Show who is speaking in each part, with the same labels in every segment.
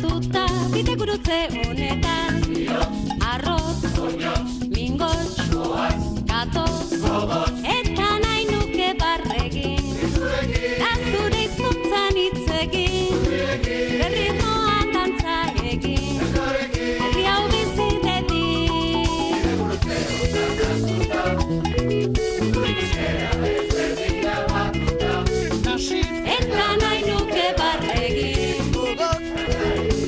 Speaker 1: Naztuta bide gurutze honetan arroz, mingos, gatoz eta nahi nuke barregin Nazture izkuntzan itzegin Berritmoan dantza egin Herri hau bizi dedin Eta nahi nuke barregin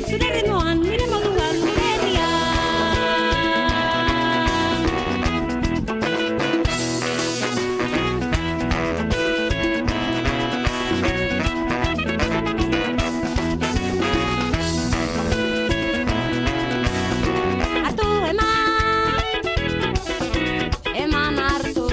Speaker 1: Zure ritmoan, nire moduan, nire Hartu eman hartu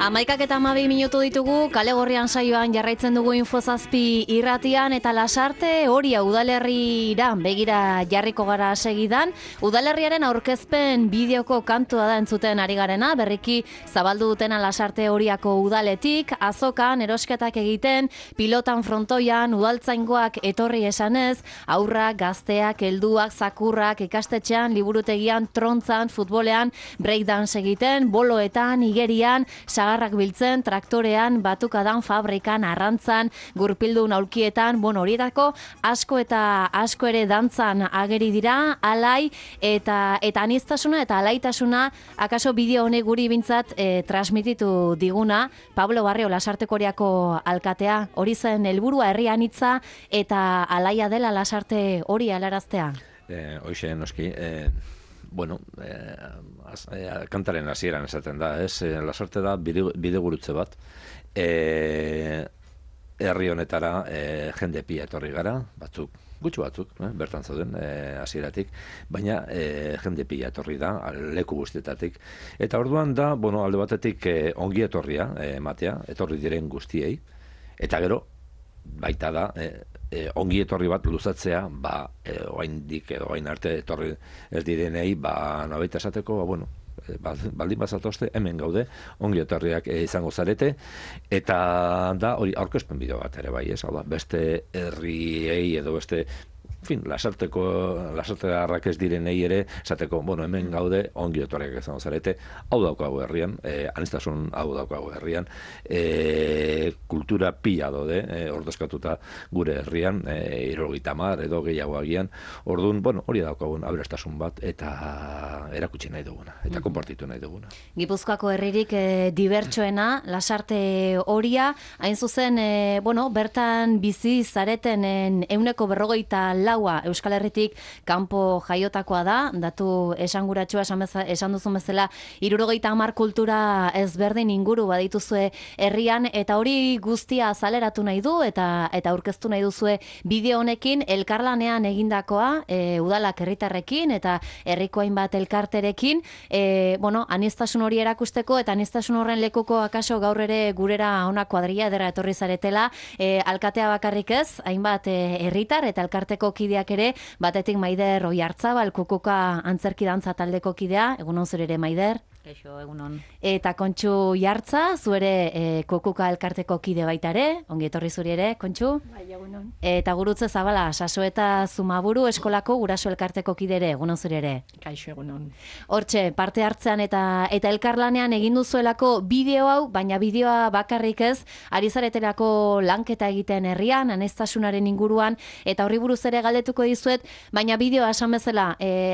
Speaker 2: Amaikak eta 12 minutu ditugu, kale gorrian saioan jarraitzen dugu Infozazpi irratian eta Lasarte Oria udalerrira begira jarriko gara segidan. Udalerriaren aurkezpen bideoko kantua da entzuten ari garena, berriki zabaldu dutena Lasarte Oriako udaletik, azokan, erosketak egiten, pilotan frontoian, udaltzaingoak etorri esanez, aurrak, gazteak, helduak, zakurrak, ikastetxean, liburutegian, trontzan, futbolean, breakdance egiten, boloetan, igerian, sagarrak biltzen, traktorean, batukadan, fabrikan, arrantzan, gurpildun aulkietan, horietako asko eta asko ere dantzan ageri dira, alai eta aniztasuna eta alaitasuna akaso bideo honek guri bintzat transmititu diguna, Pablo Barrio Lasarteko Oriako alkatea, hori zen helburua herri anitza eta alaia dela Lasarte Hori alaraztea.
Speaker 3: Hoxe, noski, kantaren hasieran esaten da, Lasarte da bidegurutze bat, herri honetara jende pila etorri gara, gutxu batzuk, bertan zauden hasieratik, baina jende pila etorri da, leku guztietatik, eta orduan da, alde batetik ongi etorria ematea, etorri diren guztiei, eta gero, baita da, ongi etorri bat luzatzea, oaindik edo oain arte etorri ez direnei, nabaita esateko, baldin bazatozte, hemen gaude, ongi etorriak izango zarete, eta da, hori aurkezpen bideo bat ere bai, beste herriei edo beste Lasartearrak ez direnei ere, esateko, hemen gaude, ongi etorriak izango zarete, hau daukagu herrian, aniztasun hau daukagu herrian, kultura pila daude, ordezkatuta gure herrian, 70 edo gehiago agian, orduan, hori daukagun aberastasun bat, eta erakutsi nahi duguna, eta konpartitu nahi duguna.
Speaker 2: Gipuzkoako herririk dibertsoena, Lasarte Oria, hain zuzen, bertan bizi zareten 150 Euskal Herritik kanpo jaiotakoa da, datu esanguratsua esan duzun bezala, 70 kultura ezberdin inguru badituzue herrian, eta hori guztia azaleratu nahi du, eta aurkeztu nahi duzue bideo honekin, elkarlanean egindakoa, udalak herritarrekin, eta herriko hainbat elkarterekin, aniztasun hori erakusteko, eta aniztasun horren lekuko akaso gaur ere gurera ona kuadrilla ederra etorri zaretela, alkatea bakarrik ez, hainbat herritar eta elkarteko kideak ere, batetik Maider Oiartzabal, Kukuka antzerki dantza taldeko kidea, egunon zure ere Maider.
Speaker 4: Kaixo, egunon.
Speaker 2: Eta Kontxu Jartza, zuere Kukuka elkarteko kide baita ere, ongi etorri zuri ere, Kontxu.
Speaker 4: Bai, egunon.
Speaker 2: Eta Gurutze Zabala, Sasoeta Zumaburu eskolako guraso elkarteko kide ere, egunon zuri ere.
Speaker 4: Kaixo, egunon.
Speaker 2: Hortxe, parte hartzean eta elkarlanean egin duzuelako bideo hau, baina bideoa bakarrik ez, ari zaretelako lanketa egiten herrian, aniztasunaren inguruan, eta horri buruz ere galdetuko dizuet, baina bideoa esan bezala,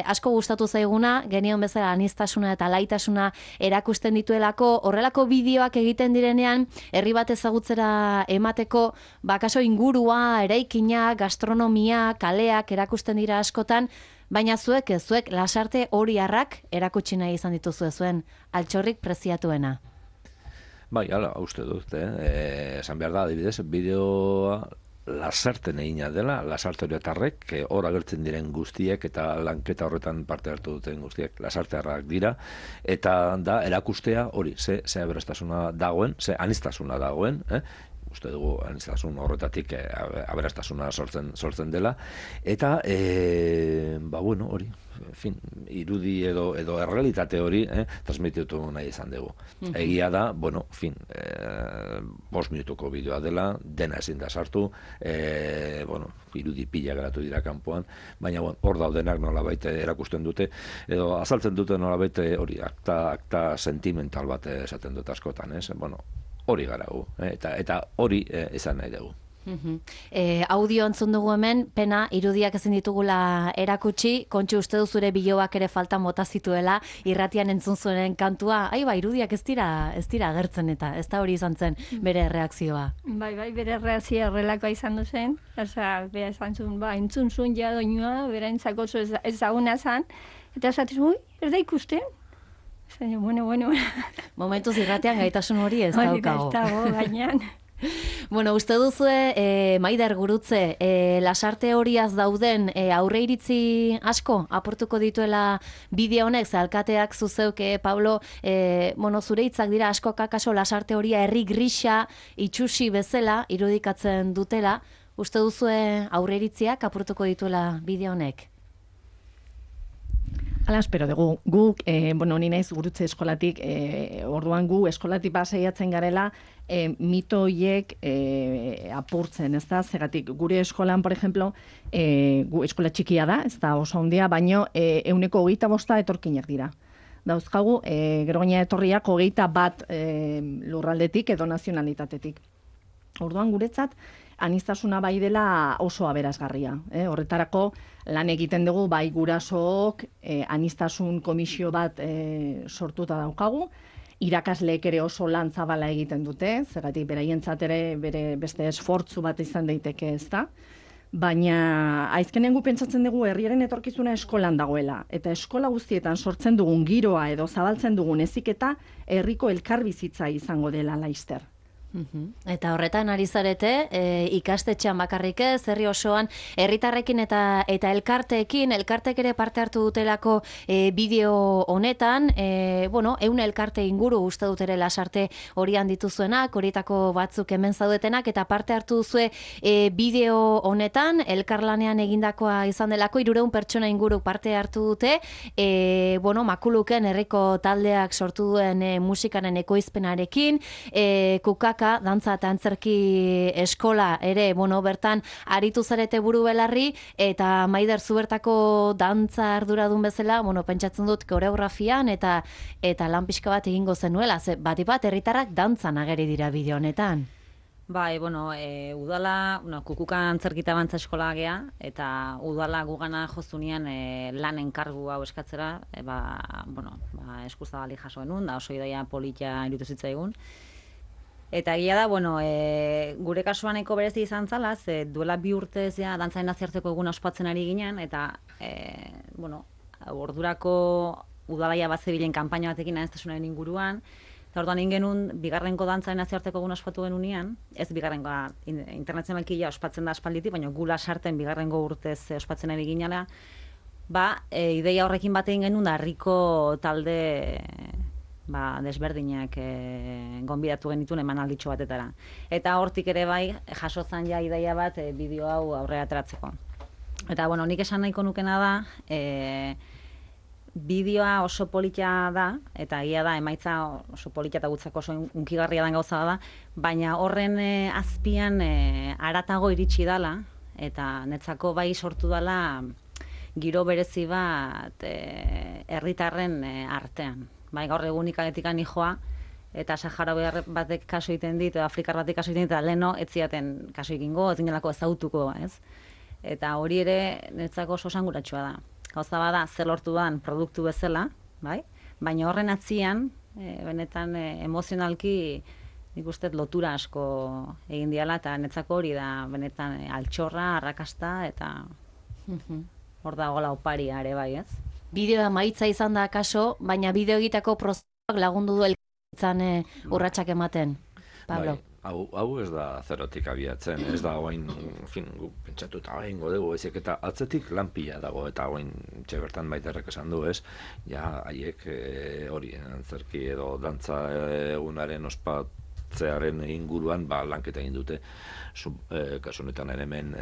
Speaker 2: asko gustatu zaiguna, genion bezala aniztasuna eta alaitasuna erakusten dituelako, horrelako bideoak egiten direnean, herri bat ezagutzera emateko, bakaso ingurua, eraikina, gastronomia, kaleak erakusten dira askotan, baina zuek Lasarte Oriarrak erakutsi nahi izan dituzue zuen, altxorrik preziatuena.
Speaker 3: Bai, hala, uste dut, esan behar da, adibidez, bideoa Lasarten egina dela, Lasarte Oriatarrek, hor agertzen diren guztiek eta lanketa horretan parte hartu duten guztiek Lasartearrak dira, eta da erakustea hori, ze aberastasuna dagoen, ze aniztasuna dagoen, uste dugu aniztasun horretatik aberastasuna sortzen dela, eta bueno, hori, en fin, irudi edo errealitate hori transmititu nahi izan dugu. Egia da, bueno, en fin, 5 minutuko bideoa dela, dena ezin da sartu, bueno, irudi pila geratu dira kanpoan, baina hor daudenak nolabait erakusten dute, edo azaltzen dute nolabait hori, akta sentimental bat esaten dut askotan, ez? Bueno, hori gara gu, eta hori izan nahi dugu.
Speaker 2: Audio entzun dugu hemen, pena, irudiak ezin ditugula erakutsi, Kontxu uste du zure biloak ere falta mota zituela, irratian entzun zuenen kantua, irudiak ez dira agertzen eta, ez da hori izan zen bere reakzioa.
Speaker 4: Bai, bere reakzioa horrelakoa izan duzen, bera esan zuen, entzun zuen ja doinua, bera entzako ezaguna zan, eta esatzen, ez da ikusten? Zain, bueno.
Speaker 2: Momentuz irratian gaitasun hori ez daukago.
Speaker 4: Hori dago, gainean.
Speaker 2: Bueno, uste duzue, Maider Gurutze, lasarte horiaz dauden aurreiritzi asko aportuko dituela bideo honek, ze alkateak zuzeuk, Pablo, zure hitzak dira asko kakaso lasarte horia herri grisa itxusi bezala irudikatzen dutela, uste duzue aurreiritziak aportuko dituela bideo honek?
Speaker 5: Hala espero dugu, guk, ni naiz Gurutze eskolatik, orduan gu eskolatik basaiatzen garela, mito horiek apurtzen, ez da? Zegatik, gure eskolan, por ejemplo, gu eskola txikia da, ez da oso handia, baino 25% etorkinak dira. Dauzkagu, gero gaina etorriak 21 lurraldetik edo nazionalitatetik. Orduan guretzat, aniztasuna bai dela oso aberasgarria. Horretarako lan egiten dugu bai gurasook anistasun komisio bat sortuta daukagu, irakasleek ere oso lan zabala egiten dute, zergatik beraientzat ere bere beste esfortzu bat izan daiteke, ez da? Baina aizkenen gu pentsatzen dugu herriaren etorkizuna eskolan dagoela, eta eskola guztietan sortzen dugun giroa edo zabaltzen dugun heziketa herriko elkarbizitza izango dela laster.
Speaker 2: Eta horretan ari zarete, ikastetxean bakarrik ez, herri osoan, herritarrekin eta elkartek ere parte hartu dutelako bideo honetan, 100 elkarte inguru uste dut ere lasarte horian dituzuenak, horietako batzuk hemen zaudetenak, eta parte hartu duzue bideo honetan, elkarlanean egindakoa izan delako, 300 pertsona inguru parte hartu dute, Makuluken herriko taldeak sortu duen musikaren ekoizpenarekin, Kukaka dantza eta antzerki eskola ere, bertan aritu zarete buru belarri, eta Maider zu bertako dantza arduradun bezala, pentsatzen dut koreografian eta lan pixka bat egingo zenuela, ze bat herritarrak dantzan ageri dira bideo honetan.
Speaker 6: Bai, udala, Kukuka antzerkita bantza eskola gea, eta udala gugana jozunian lan enkargu hau eskatzera, eskuzabali jaso genuen, da oso idaia politia irutu zitzaigun. Eta egia da, gure kasuaneko berezi izan zala, ze duela 2 urtez dantzaren nazioarteko eguna ospatzen ari ginen, eta ordurako udalaia bat zebilen kanpaina batekin aniztasunaren inguruan, eta orduan genuen bigarrenko dantzaren nazioarteko eguna ospatu genunean, ez bigarrengoa internazionalki ospatzen da aspalditik, baina gula sarten bigarrengo urtez ospatzen ari ginela, ideia horrekin batein genuen da herriko talde desberdinak gonbidatu genituen emanalditxo batetara. Eta hortik ere bai, jasozan ja ideia bat bideo hau aurrera ateratzeko. Eta, nik esan nahiko nukena da, bideoa oso politia da, eta egia da, emaitza oso politia eta gutzako oso unkigarria den gauza da, baina horren azpian haratago iritsi dala, eta netzako bai sortu dala giro berezi bat herritarren artean. Gaur egun ikagetikan nijoa, eta Sahara batek kaso egiten dit, Afrikar batek kaso egiten dit, eta leheno ez ziaten kaso egingo, ez ginelako ezautuko, ez? Eta hori ere netzako oso esanguratsua da. Gauza bada, zer lortu dan produktu bezala, baina horren atzian, benetan emozionalki nik uste lotura asko egin diala, eta netzako hori da benetan altxorra, arrakasta, eta hor da gola oparia ere bai, ez?
Speaker 2: Bideoa maitza izan da kaso, baina bideo egiteko prozesuak lagundu du elkartzen urratsak ematen. Pablo.
Speaker 3: Hau ez da zerotik abiatzen, ez da oain, pentsatuta egingo dugu, ezek eta atzetik lanpila dago, eta oain bertan Maiderrek esan du, ez? Ja, haiek hori, antzerki edo dantza egunaren sartzearen inguruan lanketa egin dute. Kasu honetan hemen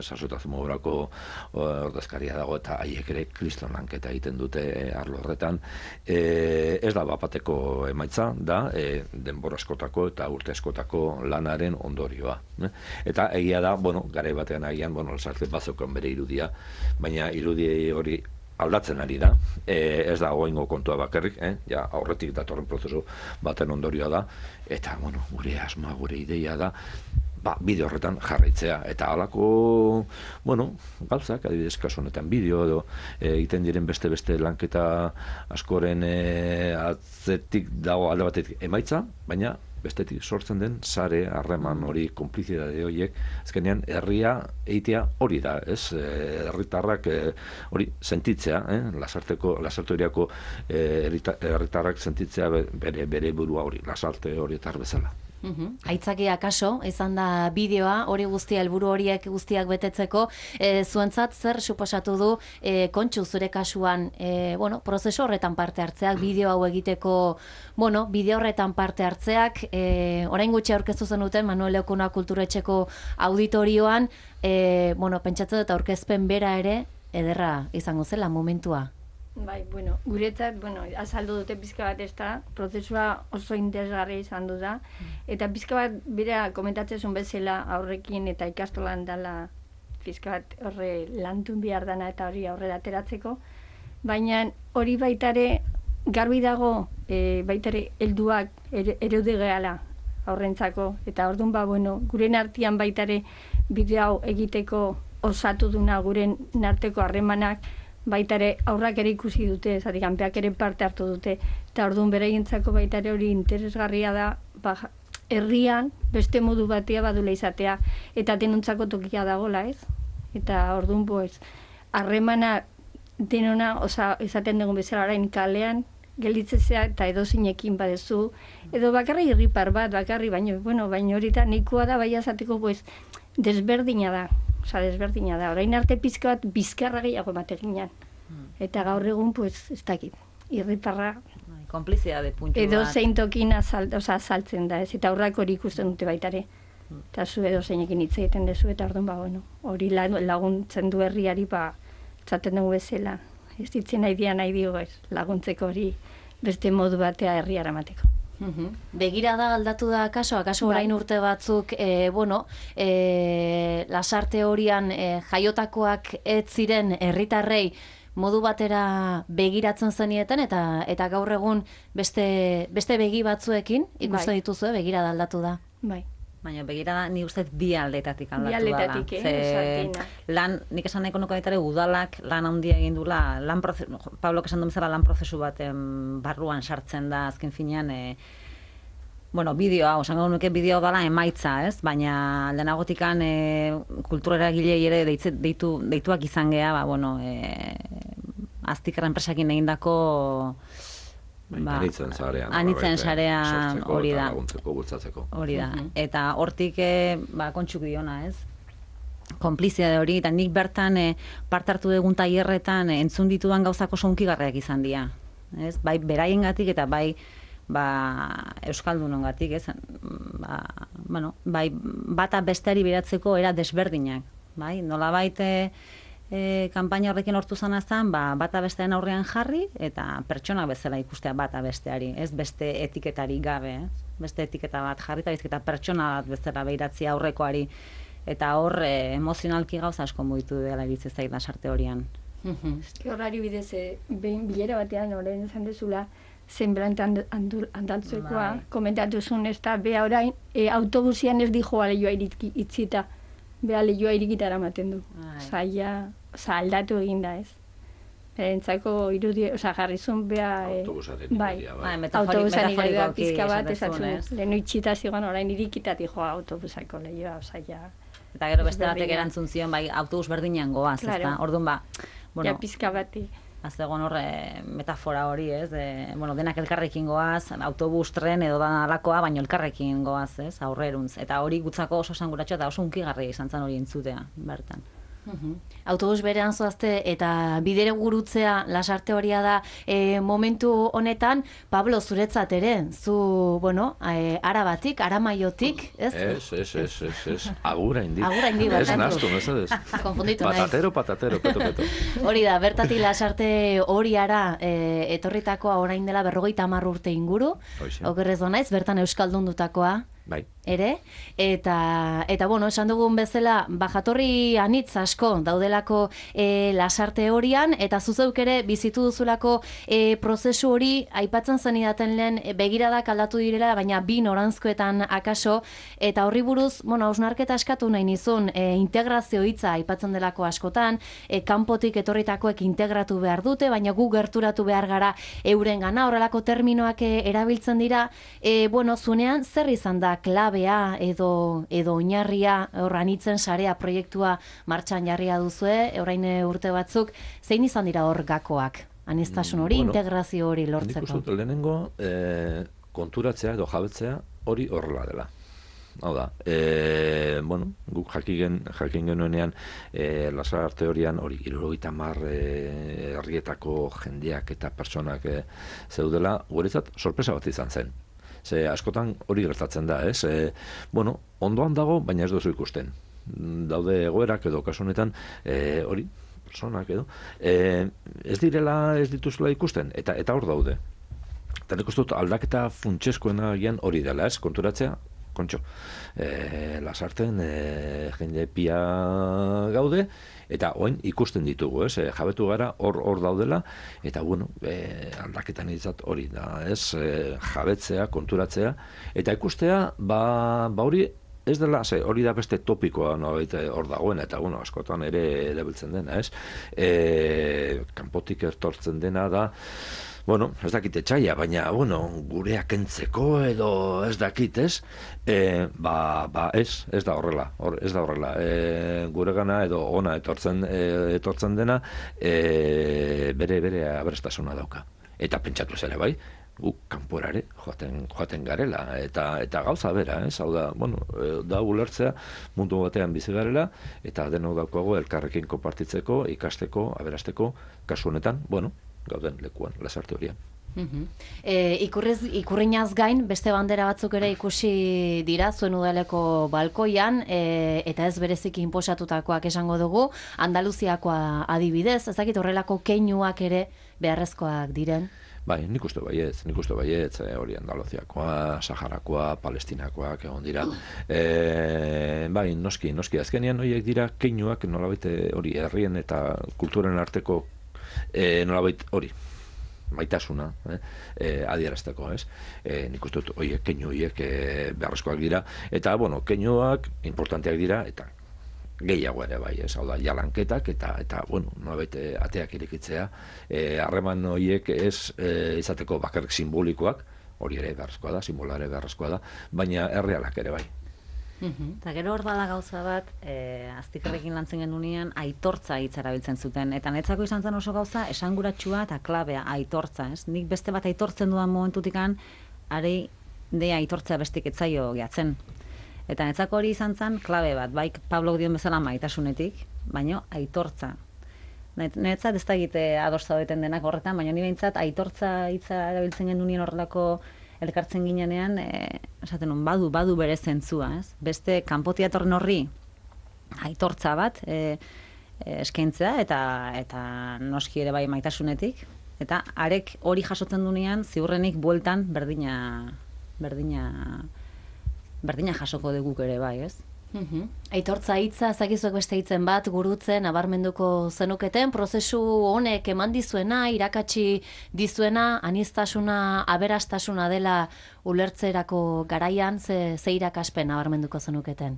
Speaker 3: sasotasun mobrako ordezkaria dago eta haiek ere kriston lanketa egiten dute arlo horretan. Ez da bapateko emaitza, da denbora askotako eta urte askotako lanaren ondorioa. Eta egia da, garai batean agian, lasarte bazokan bere irudia, baina irudi hori aldatzen ari da, ez da goingo kontua bakarrik, ja aurretik datorren prozesu baten ondorioa da, eta gure asmoa, gure ideia da, bideo horretan jarraitzea, eta halako, gauzak, adibidez kasu honetan bideo edo egiten diren beste lanketa askoren atzetik dago alde batetik emaitza, baina bestetik sortzen den sare, harreman hori, konplizidade horiek, azkenean herria eitea hori da, ez? Herritarrak hori sentitzea, lasarte horiako herritarrak sentitzea bere burua hori, lasarte horietar bezala.
Speaker 2: Aitzakia kaso, izan da bideoa, hori guztia, helburu horiek guztiak betetzeko, zuentzat zer suposatu du Kontxu zure kasuan, prozesu horretan parte hartzeak, bideo hau egiteko, bideo horretan parte hartzeak, orain gutxi aurkeztu zenuten Manuel Leokuna Kulturetxeko auditorioan, pentsatzen dut aurkezpen bera ere, ederra izango zela momentua.
Speaker 4: Bai, guretzat, azaldu dute pizka bat ez da, prozesua oso interesgarria izan du da, eta pizka bat bera komentatzen zuen bezala aurrekin eta ikastolan dela pizka bat horre lantun behar dana eta hori aurrera ateratzeko, baina hori baitare garbi dago baitare helduak ereude gehala aurrentzako, eta orduan guren artean baitare bideo hau egiteko osatu duna guren arteko harremanak, baita ere aurrak ere ikusi dute, kanpeak ere parte hartu dute, eta orduan beraientzako baita ere hori interesgarria da, herrian beste modu batea badula izatea, eta denontzako tokia dagola, ez? Eta orduan, harremana denona, esaten dugun bezala orain kalean, gelditzezea eta edozinekin badezu, edo bakarri irripar bat, baina hori da, nahikoa da, bai azateko, desberdina da. Desberdina da. Orain arte pizka bat bizkarra gehiago emateginan. Eta gaur egun, ez dakit, irriparra.
Speaker 6: Konplizidade puntu bat.
Speaker 4: Edo zein tokin azaltzen da, ez? Eta aurrak hori ikusten dute baitare. Eta zu edo zeinekin hitz egiten dezu, eta orduan, hori laguntzen du herriari, txaten dugu bezala. Ez ditzen nahi dio, laguntzeko hori beste modu batea herriara emateko.
Speaker 2: Begirada aldatu da akaso orain urte batzuk, lasarte horian jaiotakoak ez ziren herritarrei modu batera begiratzen zenieten eta gaur egun beste begi batzuekin ikusten dituzue begirada aldatu da.
Speaker 4: Bai.
Speaker 6: Baina begirada ni uste bi aldetatik aldatu da.
Speaker 4: Bi aldetatik,
Speaker 6: lan, nik esan nahiko nuke baitare udalak lan handia egin dula, Pablok esan du bezala lan prozesu baten barruan sartzen da azken finean, bideoa, osango nuke bideo dela emaitza, ez? Baina lehenagotikan kulturera gilei ere deituak izan geha, aztikara enpresakin egindako
Speaker 3: anitzen
Speaker 6: sarean hori da.
Speaker 3: Bultzatzeko.
Speaker 6: Hori da. Eta hortik Kontxuk diona, ez? Konplizia hori, eta nik bertan parte hartu dugun tailerretan entzun ditudan gauzako sonkigarriak izan dira. Ez? Bai beraiengatik eta bai euskaldunongatik, ez? Bai bata besteari beratzeko era desberdinak, bai? Nolabait kanpaina horrekin hortu zana zen, bata bestearen aurrean jarri eta pertsona bezala ikustea bata besteari, ez beste etiketari gabe, beste etiketa bat jarri eta bizketa pertsona bat bezala behiratzea aurrekoari, eta hor emozionalki gauza asko mugitu dela iritzez zait lasarte horian.
Speaker 4: Horari bidez, bilera batean orain esan dezula, zenbrantan andaltzekoa, komentatu zuen ez da, beha orain, autobusian ez dijoa lehioa itzita, beha lehioa irikitara maten du. Aldatu egin da, ez? Berentzako irudi, jarrizun beha...
Speaker 3: Autobusaren irudia, bai.
Speaker 4: Autobusan irudia pizka bat, esatzen, lehenu itxita zigoan orain irikitati joa autobusako lehioa,
Speaker 6: Eta gero beste batek erantzun zion, autobus berdinean goaz, ez da? Orduan,
Speaker 4: ja pizka bati.
Speaker 6: Azegon horre metafora hori, ez? Denak elkarrekin goaz, autobus, tren edo da alakoa, baino elkarrekin goaz, ez? Aurreruntz. Eta hori gutzako oso esanguratxo eta oso unkigarria izan zen hori entzutea, bertan.
Speaker 2: Autobus berean zoazte eta bidere gurutzea lasarte horia da momentu honetan, Pablo, zuretzat ere, zu, bueno, Arabatik, Aramaiotik, ez?
Speaker 3: Ez, agura indi.
Speaker 2: Agura indi,
Speaker 3: Ez
Speaker 2: barkatu.
Speaker 3: nastu, mesedez.
Speaker 2: Konfunditu naiz.
Speaker 3: Patatero, peto.
Speaker 2: Hori da, bertatik lasarte horiara etorritakoa orain dela 50 urte inguru,
Speaker 3: Hoxe.
Speaker 2: okerrez naiz, bertan euskaldundutakoa,
Speaker 3: Bai.
Speaker 2: ere, eta bueno, esan dugun bezala, jatorri anitz asko daudelako lasarte horian, eta zuzeuk ere bizitu duzulako prozesu hori, aipatzen zenidaten lehen begiradak aldatu direla, baina bi noranzkoetan akaso, eta horri buruz, bueno, hausnarketa eskatu nahi nizun, integrazio hitza aipatzen delako askotan, kanpotik etorritakoek integratu behar dute, baina gu gerturatu behar gara euren gana, horrelako terminoak erabiltzen dira, bueno, zunean zer izan da klabea edo oinarria horranitzen sarea proiektua martxan jarria duzue, orain urte batzuk, zein izan dira hor gakoak? Aniztasun hori,
Speaker 3: Bueno,
Speaker 2: integrazio hori
Speaker 3: Nik
Speaker 2: lortzeko.
Speaker 3: uste dut lehenengo konturatzea edo jabetzea hori horrela dela. Hau da, bueno, guk jakin genuenean lasarte horian hori 70 herrietako jendeak eta personak zeudela, guretzat sorpresa bat izan zen. Ze askotan hori gertatzen da, ez? Bueno, ondoan dago, baina ez duzu ikusten. Daude egoerak edo kasu honetan hori, personak edo, ez dituzula ikusten, eta hor daude. Eta nik uste dut aldaketa funtseskoena gian hori dela, ez? Konturatzea, kontxo, lasarten jende pia gaude, eta oin ikusten ditugu, ez? Jabetu gara hor daudela, eta bueno, aldaketan izat hori da, ez? Jabetzea, konturatzea, eta ikustea, ba hori ez dela, hori da beste topikoa nolabait hor dagoen, eta bueno, askotan ere erabiltzen dena, ez? Kanpotik etortzen dena da, bueno, ez dakit etxaia, baina, bueno, gureak entzeko edo ez dakit, ez? Ez da horrela, guregana edo ona etortzen dena, bere aberastasuna dauka. Eta pentsatu ere bai, guk kanporare joaten garela, eta gauza bera, ez? Hau da, bueno, da ulertzea mundu batean bizi garela, eta denok daukago elkarrekin konpartitzeko, ikasteko, aberasteko, kasu honetan, bueno, gauden lekuan, lasarte horian.
Speaker 2: Ikurrinaz gain, beste bandera batzuk ere ikusi dira, zuen udaleko balkoian, eta ez bereziki inposatutakoak esango dugu, Andaluziakoa adibidez, ezakit horrelako keinuak ere beharrezkoak diren.
Speaker 3: Bai, nik uste baietz, hori Andaluziakoa, Saharakoa, Palestinakoak egon dira. Bai, noski, azkenean horiek dira keinuak nolabait hori herrien eta kulturen arteko nolabait hori maitasuna adierazteko, ez? Nik uste dut keinu horiek beharrezkoak dira, eta, bueno, keinuak importanteak dira, eta gehiago ere bai, ez? Hau da, jalanketak, eta bueno, nolabait ateak irekitzea, harreman horiek ez izateko bakarrik simbolikoak, hori ere beharrezkoa da, simbola ere beharrezkoa da, baina errealak ere bai.
Speaker 6: Eta gero hor dala gauza bat, aztikarrekin lantzen genunean, aitortza hitza erabiltzen zuten. Eta netzako izan zen oso gauza, esanguratsua eta klabea, aitortza, ez? Nik beste bat aitortzen dudan momentutikan, arei de aitortzea bestik etzaio gehatzen. Eta netzako hori izan zen, klabe bat, bai Pablo dion bezala maitasunetik, baino aitortza. Netzat ez da egite ados zaudeten denak horretan, baina ni behintzat aitortza hitza erabiltzen genuen horrelako elkartzen ginenean, esaten nun, badu bere zentzua, ez? Beste kanpotik datorren horri aitortza bat eskaintzea eta noski ere bai maitasunetik, eta arek hori jasotzen dunean ziurrenik bueltan berdina jasoko dugu ere bai, ez?
Speaker 2: Aitortza hitza, ezakizuek beste hitzen bat gurutzen abarmenduko zenuketen, prozesu honek eman dizuena, irakatsi dizuena, aniztasuna, aberastasuna dela ulertzerako garaian, ze irakaspen abarmenduko zenuketen?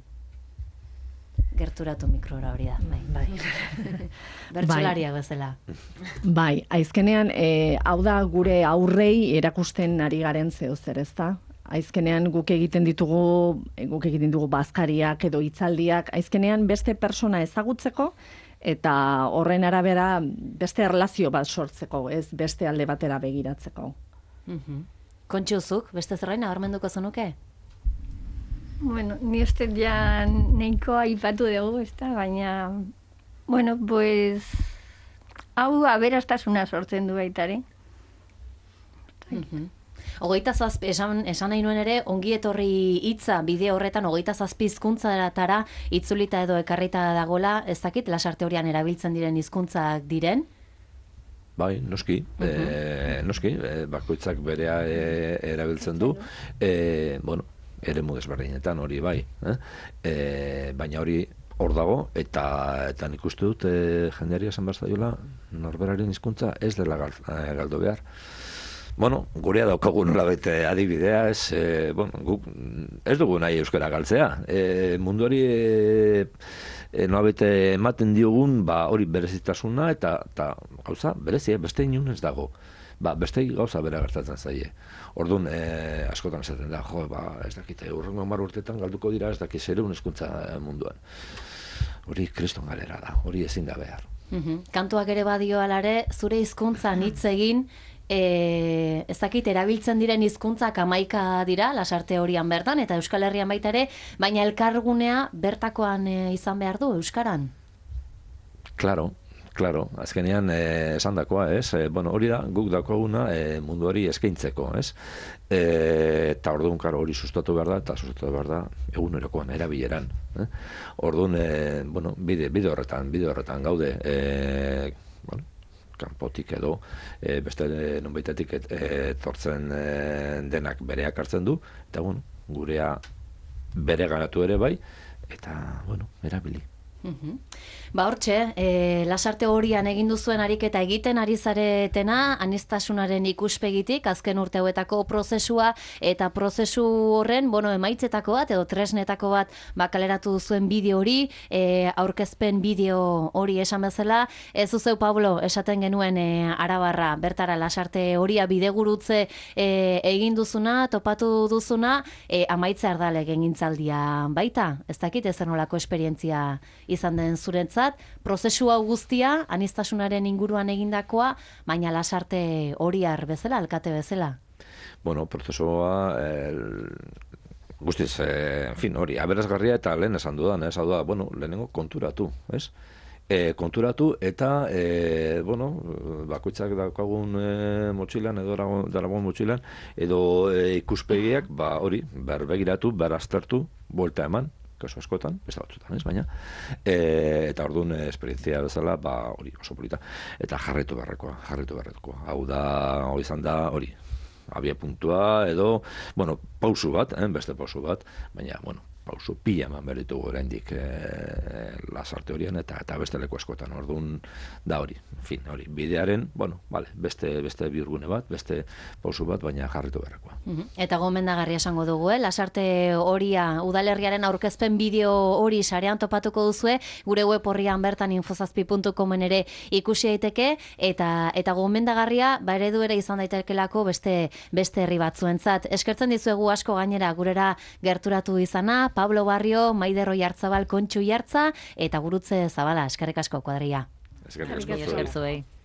Speaker 2: Gerturatu mikrora hori da. Bai. Bertsolariak bezala.
Speaker 5: Bai, aizkenean, hau da gure aurrei erakusten ari garen zeozer, ezta? Aizkenean guk egiten ditugu bazkariak edo hitzaldiak, aizkenean beste persona ezagutzeko eta horren arabera beste erlazio bat sortzeko, ez beste alde batera begiratzeko.
Speaker 2: Kontxuzuk, beste zerrain abarmenduko zenuke?
Speaker 4: Bueno, ni uste ja nahiko aipatu dugu, ezta, baina Bueno, pues hau aberastasuna sortzen du baitare.
Speaker 2: Hogeita zazpi, esan nahi nuen ere, ongi etorri hitza bideo horretan hogeita zazpi hizkuntzaratara itzulita edo ekarrita dagola, ez dakit, Lasarte Horian erabiltzen diren hizkuntzak diren?
Speaker 3: Bai, noski, bakoitzak berea erabiltzen du, bueno, eremu desberdinetan hori bai, baina hori hor dago, eta nik uste dut jendeari esan behar zaiola, norberaren hizkuntza ez dela galdu behar. Bueno, gurea daukagu nolabait adibidea, guk ez dugu nahi euskara galtzea. Munduari nolabait ematen diogun, hori berezitasuna eta gauza berezia, beste inun ez dago. Beste gauza bera gertatzen zaie. Orduan, askotan esaten da, ez dakite, urrengo 10 urtetan galduko dira, ez dakit zereun hizkuntza munduan. Hori kriston galera da, hori ezin da behar.
Speaker 2: Kantuak ere badio alare, zure hizkuntzan hitz egin, ez dakit, erabiltzen diren hizkuntzak 11 dira, Lasarte Horian bertan, eta Euskal Herrian baita ere, baina elkargunea bertakoan izan behar du, euskaran?
Speaker 3: Claro, azkenean esandakoa, ez? Bueno, hori da, guk daukaguna munduari eskaintzeko, ez? Eta orduan, karo, hori sustatu behar da, eta sustatu behar da egunerokoan, erabileran. Orduan, bueno, bide horretan gaude, bueno, kanpotik edo, beste nonbaitetik etortzen denak bereak hartzen du, eta, bueno, gurea bere ganatu ere bai, eta, bueno, erabili.
Speaker 2: Hortxe, Lasarte Horian egin duzuen ariketa egiten ari zaretena, aniztasunaren ikuspegitik, azken urte hauetako prozesua, eta prozesu horren, emaitzetako bat, edo tresnetako bat, kaleratu duzuen bideo hori, aurkezpen bideo hori esan bezala, ez zuzeu, Pablo, esaten genuen Arabarra, bertara Lasarte Horia bidegurutze egin duzuna, topatu duzuna, amaitze ardale gengintzaldia baita, ez dakit ezer nolako esperientzia izan den zuretzat, prozesu hau guztia, aniztasunaren inguruan egindakoa, baina Lasarte Horiar bezala, alkate bezala.
Speaker 3: Bueno, prozesua guztiz, en fin, hori, aberasgarria eta lehen esan dudan, hau da, bueno, lehenengo konturatu, ez? Konturatu eta, bueno, bakoitzak daukagun motxilan, edo daragon motxilan, edo ikuspegiak, hori, berbegiratu, beraztertu, buelta eman, kasu askotan, beste batzutan, ez, baina, eta orduan esperientzia bezala, hori oso polita, eta jarraitu beharrekoa. Hau da, hori izan da, hori, abia puntua, edo, bueno, pausu bat, beste pausu bat, baina, bueno, pausu pila eman beritugu oraindik Lasarte Horian eta beste leku askotan, orduan da hori, en fin, hori, bidearen, bueno, vale, beste bihurgune bat, beste pausu bat, baina jarritu beharrekoa.
Speaker 2: Eta gomendagarria esango dugu, Lasarte Horia udalerriaren aurkezpen bideo hori sarean topatuko duzue, gure web orrian bertan infozazpi.comen ere ikusi daiteke, eta gomendagarria, eredu ere izan daitekelako beste herri batzuentzat. Eskertzen dizuegu asko gainera gurera gerturatu izana, Pablo Barrio, Maider Oiartzabal, Kontxu Iartza, eta Gurutze Zabala, eskerrik asko kuadria.
Speaker 3: Eskerrik asko.